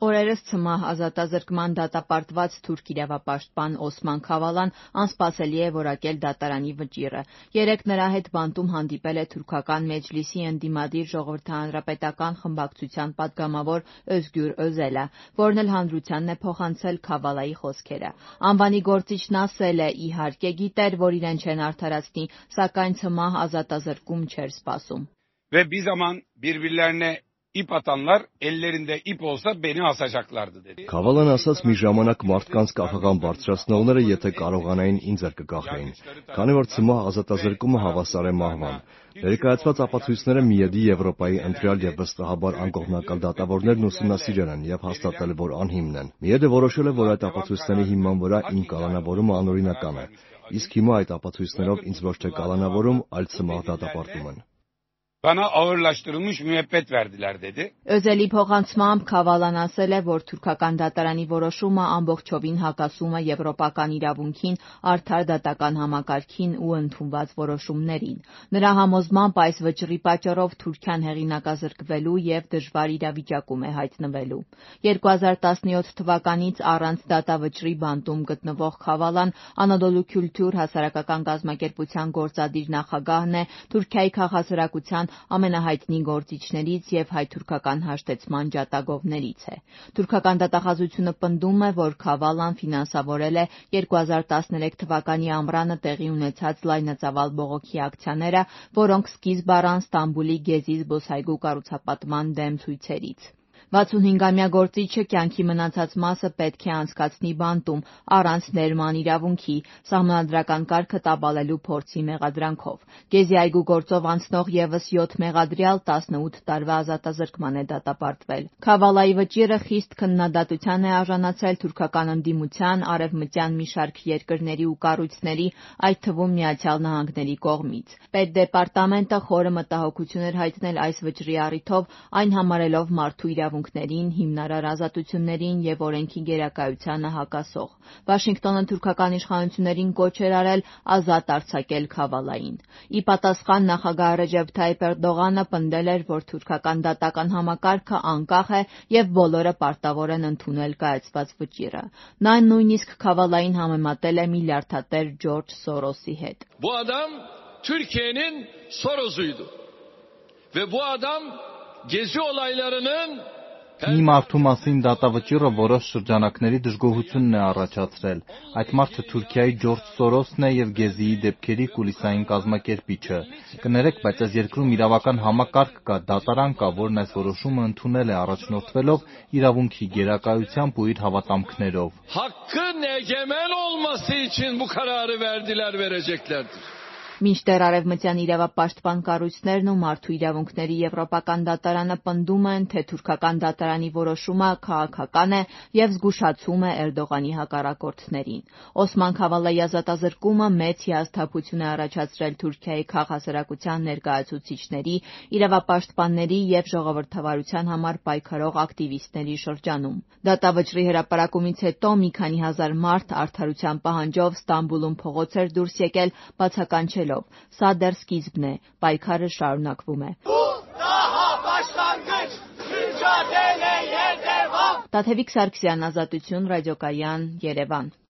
Օրերս ցմահ ազատազրկման դատապարտված թուրք իրավապաշտպան Օսման Քավալան անսպասելի է որակել դատարանի վճիռը։ Երեկ նրա հետ բանտում հանդիպել է թուրքական Մեջլիսի ընդդիմադիր ժողովրդահանրապետական խմբակցության падգամավոր Özgür Özelը, որն էլ հանրությանն է փոխանցել Քավալայի խոսքերը։ Անվանի գործիչն ասել է՝ իհարկե գիտեր, որ իրեն չեն արդարացնի, սակայն ցմահ ազատազրկում չէր սպասում։ Ve bir zaman birbirlerine ip atanlar ellerinde ip olsa beni asacaklardı dedi. Քավալան ասաց մի ժամանակ մարդկանց կախաղան բարձրացնողները եթե կարողանային ինձ էլ կկախեին, քանի որ ցմահ ազատազրկումը հավասար է մահվան։ Ներկայացված ապացույցները միեդի Եվրոպայի ընտրյալ եւ վստահաբար անկողմնակալ դատավորներն ուսումնասիրել են եւ հաստատել, որ անհիմն են։ Միեդը որոշել է, որ այդ ապացույցների հիման վրա իմ կալանավորումը անօրինական է, իսկ հիմա այդ ապացույցներով ինձ ոչ թե կալանավորում, այլ ցմահ դատապարտում են։ Bana ağırlaştırılmış müebbet verdiler dedi. Özeli փոխանցմամբ Քավալան ասել է, որ թուրքական դատարանի որոշումը ամբողջովին հակասում է եվրոպական իրավունքին, արդար դատական համակարգին ու ընդունված որոշումներին։ Նրա համոզմամբ այս վճռի պատճառով Թուրքիան հեղինակազրկվելու եւ դժվար իրավիճակում է հայտնվելու։ 2017 թվականից առանց դատավճռի բանտում գտնվող Քավալան Անադոլու Քյուլտուր հասարակական կազմակերպության գործադիր նախագահն է, Թուրքիայի քաղաքացիական ամենահայտնի գործիչներից եւ հայ-թուրքական հաշտեցման ջատագովներից է։ Թուրքական դատախազությունը պնդում է, որ Քավալան ֆինանսավորել է 2013 թվականի ամռանը տեղի ունեցած լայնածավալ բողոքի ակցիաները, որոնք սկիզբ առան Ստամբուլի Գեզի զբոսայգու կառուցապատման դեմ ցույցերից։ 65-ամյա գործիչը կյանքի մնացած մասը պետք է անցկացնի բանտում, առանց ներման իրավունքի, սահմանադրական կարգը տապալելու փորձի մեղադրանքով։ Գեզի այգու գործով անցնող եւս 7 մեղադրյալ 18 տարվա ազատազրկման է դատապարտվել։ Քավալայի վճիռը խիստ քննադատության է արժանացել թուրքական ընդդիմության, արևմտյան մի շարք երկրների ու կառույցների, այդ թվում Միացյալ Նահանգների կողմից։ Պետդեպարտամենտը խորը մտահոգություն էր հայտնել այս վճռի առիթով, այն համարելով մարդու իրավունքներին, հիմնարար ազատություններին եւ օրենքի գերակայությանը հակասող։ Վաշինգտոնը թուրքական իշխանություններին կոչ էր արել ազատ արձակել Քավալային։ Ի պատասխան նախագահ Ռեջեփ Թայիփ Էրդողանը պնդել էր, որ թուրքական դատական համակարգը անկախ է եւ բոլորը պարտավոր են ընդունել կայացված վճիռը։ Նա նույնիսկ Քավալային համեմատել է միլիարդատեր Ջորջ Սորոսի հետ։ Bu adam Türkiye'nin Soros'uydu. Ve bu adam Gezi olaylarının Մի մարդու մասին դատավճիռը որոշ շրջանակների դժգոհությունն է առաջացրել։ Այդ մարդը Թուրքիայի Ջորջ Սորոսն է եւ Գեզիի դեպքերի կուլիսային կազմակերպիչը։ Կներեք, բայց այս երկրում իրավական համակարգ կա, դատարան կա, որն այս որոշումը ընդունել է առաջնորդվելով իրավունքի գերակայությամբ ու իր հավատամքներով։ Hakkın egemen olması için bu kararı verdiler, vereceklerdir. Մինչդեռ արևմտյան իրավապաշտպան կառույցներն ու մարդու իրավունքների եվրոպական դատարանը պնդում են, թե թուրքական դատարանի որոշումը քաղաքական է եւ զգուշացում է Էրդողանի հակառակորդներին։ Օսման Քավալայի ազատազրկումը մեծ հիասթափություն է առաջացրել Թուրքիայի քաղաքասարակության ներկայացուցիչների, իրավապաշտպանների եւ ժողովրդավարության համար պայքարող ակտիվիստների շրջանում։ Դատավճռի հրապարակումից հետո մի քանի հազար մարդ արդարության պահանջով Ստամբուլում փողոց էր դուրս եկել, բացականչելով. Սա դեռ սկիզբն է, պայքարը շարունակվում է։ Տաթևիկ Սարգսյան, Ազատություն, Ռադիոկայան, Երևան։